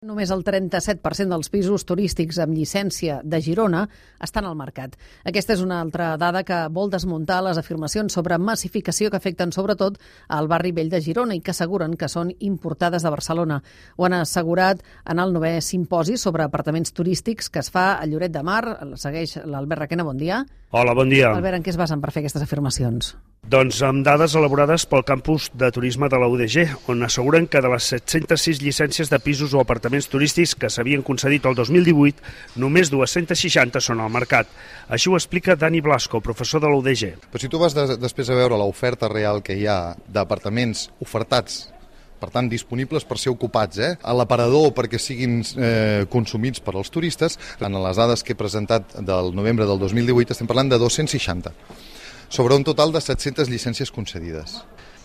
Només el 37% dels pisos turístics amb llicència de Girona estan al mercat. Aquesta és una altra dada que vol desmuntar les afirmacions sobre massificació que afecten sobretot al barri vell de Girona i que asseguren que són importades de Barcelona. Ho han assegurat en el 9è simposi sobre apartaments turístics que es fa a Lloret de Mar. Segueix l'Albert Requena, bon dia. Hola, bon dia. Albert, en què es basen per fer aquestes afirmacions? Doncs amb dades elaborades pel campus de turisme de la UDG, on asseguren que de les 706 llicències de pisos o apartaments turístics que s'havien concedit el 2018, només 260 són al mercat. Així ho explica Dani Blasco, professor de la UDG. Però si tu vas després a veure l'oferta real que hi ha d'apartaments ofertats, per tant, disponibles per ser ocupats, a l'aparador perquè siguin consumits per als turistes, en les dades que he presentat del novembre del 2018 estem parlant de 260, sobre un total de 700 llicències concedides.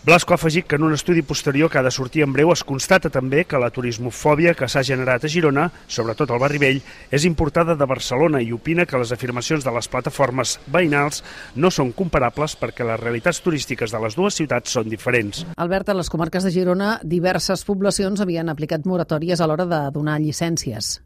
Blasco ha afegit que en un estudi posterior que ha de sortir en breu es constata també que la turismofòbia que s'ha generat a Girona, sobretot al barri vell, és importada de Barcelona i opina que les afirmacions de les plataformes veïnals no són comparables perquè les realitats turístiques de les dues ciutats són diferents. Albert, a les comarques de Girona, diverses poblacions havien aplicat moratòries a l'hora de donar llicències.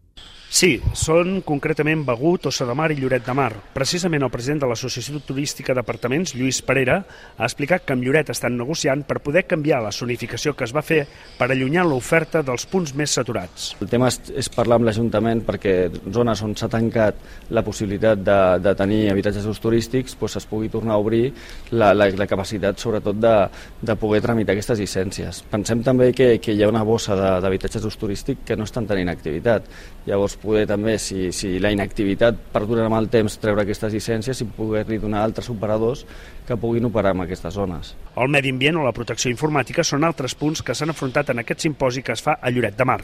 Sí, són concretament Begur, Tossa de Mar i Lloret de Mar. Precisament el president de l'Associació Turística d'Apartaments, Lluís Parera, ha explicat que amb Lloret estan negociant per poder canviar la zonificació que es va fer per allunyar l'oferta dels punts més saturats. El tema és parlar amb l'Ajuntament perquè zones on s'ha tancat la possibilitat de tenir habitatges d'ús turístics es pugui tornar a obrir la capacitat sobretot de poder tramitar aquestes llicències. Pensem també que hi ha una bossa d'habitatges d'ús turístic que no estan tenint activitat. Llavors poder també, si la inactivitat perdura amb el temps, treure aquestes llicències i poder-li donar altres operadors que puguin operar en aquestes zones. El medi ambient o la protecció informàtica són altres punts que s'han afrontat en aquest simposi que es fa a Lloret de Mar.